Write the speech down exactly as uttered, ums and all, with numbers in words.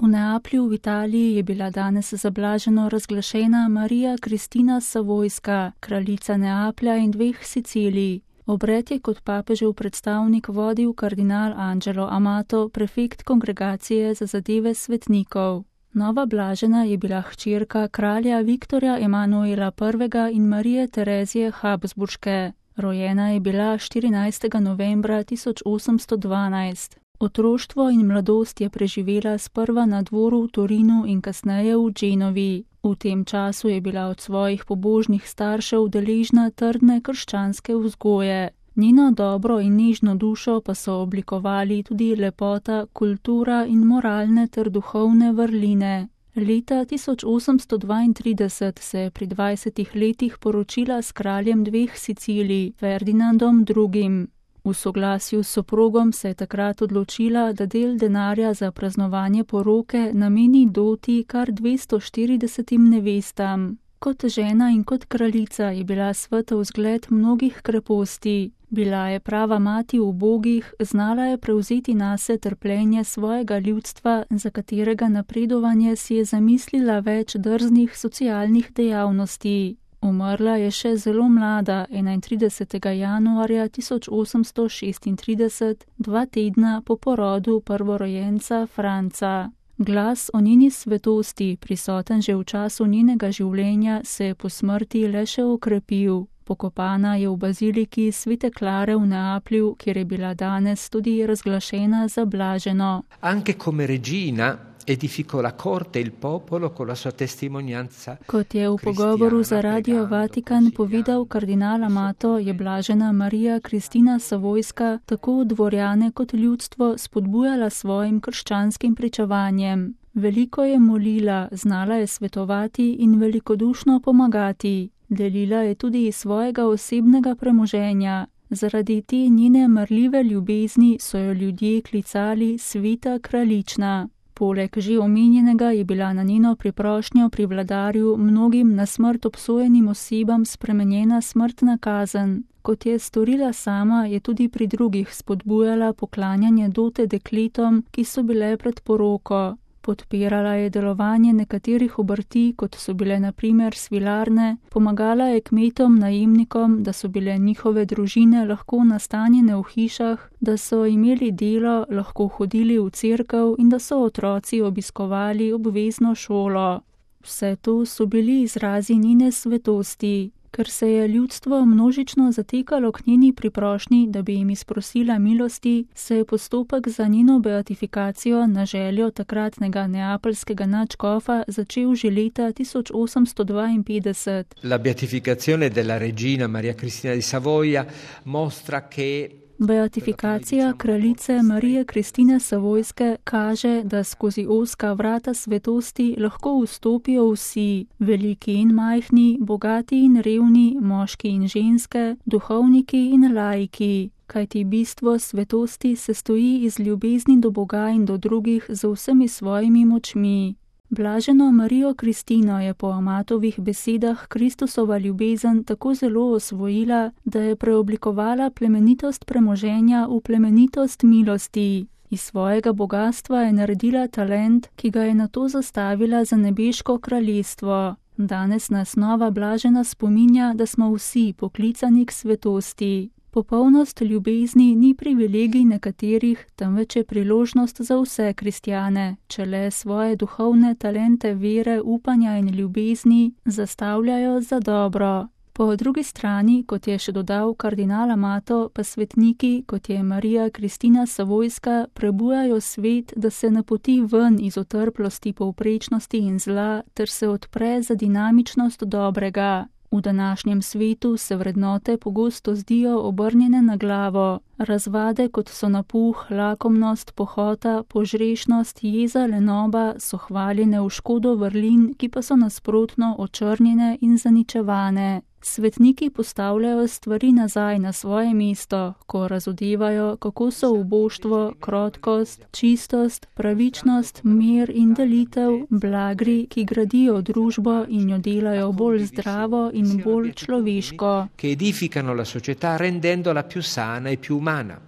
V Neaplju v Italiji je bila danes za blaženo razglašena Marija Kristina Savojska, kraljica Neaplja in dveh Sicilij. Obred je kot papežev predstavnik vodil kardinal Angelo Amato, prefekt kongregacije za zadeve svetnikov. Nova blažena je bila hčerka kralja Viktorja Emanuela prvega in Marije Terezije Habsburške. Rojena je bila štirinajstega novembra tisoč osemsto dvanajst. Otroštvo in mladost je preživela sprva na dvoru v Torinu in kasneje v Genovi. V tem času je bila od svojih pobožnih staršev deležna trdne krščanske vzgoje. Njeno dobro in nežno dušo pa so oblikovali tudi lepota, kultura in moralne ter duhovne vrline. Leta tisoč osemsto dvaintrideset se je pri dvajsetih letih poročila s kraljem dveh Sicilij, Ferdinandom drugim. V soglasju s soprogom se je takrat odločila, da del denarja za praznovanje poroke nameni doti kar dvesto štiridesetim nevestam. Kot žena in kot kraljica je bila svetov zgled mnogih kreposti. Bila je prava mati ubogih, znala je prevzeti nase trpljenje svojega ljudstva, za katerega napredovanje si je zamislila več drznih socialnih dejavnosti. Umrla je še zelo mlada, enaintridesetega januarja tisoč osemsto šestintrideset, dva tedna po porodu prvorojenca Franca. Glas o njeni svetosti, prisoten že v času njenega življenja, se je po smrti le še okrepil. Pokopana je v baziliki Svete Klare v Neaplju, kjer je bila danes tudi razglašena za blaženo. Anche come regina edificò la corte e il popolo con la sua testimonianza. Kot je v pogovoru za Radio Vatikan povedal kardinal Amato, je blažena Marija Kristina Savojska tako dvorjane kot ljudstvo spodbujala svojim krščanskim pričevanjem. Veliko je molila, znala je svetovati in velikodušno pomagati. Delila je tudi iz svojega osebnega premoženja. Zaradi te njene marljive ljubezni so jo ljudje klicali sveta kraljična. Poleg že omenjenega je bila na njeno priprošnjo pri vladarju mnogim na smrt obsojenim osebam spremenjena smrtna kazen. Kot je storila sama, je tudi pri drugih spodbujala poklanjanje dote dekletom, ki so bile pred poroko. Podpirala je delovanje nekaterih obrti, kot so bile na primer svilarne, pomagala je kmetom, najemnikom, da so bile njihove družine lahko nastanjene v hišah, da so imeli delo, lahko hodili v cerkev in da so otroci obiskovali obvezno šolo. Vse to so bili izrazi njene svetosti. Ker se je ljudstvo množično zatekalo k njeni priprošnji, da bi jim izprosila milosti, se je postopek za njeno beatifikacijo na željo takratnega neapeljskega nadškofa začel že leta tisoč osemsto dvainpetdeset. La beatificazione della regina Maria Cristina di Savoia mostra che Beatifikacija kraljice Marije Kristine Savojske kaže, da skozi ozka vrata svetosti lahko vstopijo vsi, veliki in majhni, bogati in revni, moški in ženske, duhovniki in laiki. Kajti bistvo svetosti se stoji iz ljubezni do Boga in do drugih z vsemi svojimi močmi. Blaženo Marijo Kristino je po Amatovih besedah Kristusova ljubezen tako zelo osvojila, da je preoblikovala plemenitost premoženja v plemenitost milosti. Iz svojega bogastva je naredila talent, ki ga je nato zastavila za nebeško kraljestvo. Danes nas nova blažena spominja, da smo vsi poklicani k svetosti. Popolnost ljubezni ni privilegij nekaterih, temveč je priložnost za vse kristjane, če le svoje duhovne talente vere, upanja in ljubezni zastavljajo za dobro. Po drugi strani, kot je še dodal kardinal Amato, pa svetniki, kot je Marija Kristina Savojska, prebujajo svet, da se napoti ven iz otrplosti, povprečnosti in zla, ter se odpre za dinamičnost dobrega. V današnjem svetu se vrednote pogosto zdijo obrnjene na glavo. Razvade, kot so napuh, lakomnost, pohota, požrešnost, jeza, lenoba, so hvaljene v škodo vrlin, ki pa so nasprotno očrnjene in zaničevane. Svetniki postavljajo stvari nazaj na svoje mesto, ko razodevajo, kako so uboštvo, krotkost, čistost, pravičnost, mir in delitev blagri, ki gradijo družbo in jo delajo bolj zdravo in bolj človeško. Che edificano la società rendendola più sana e più umana.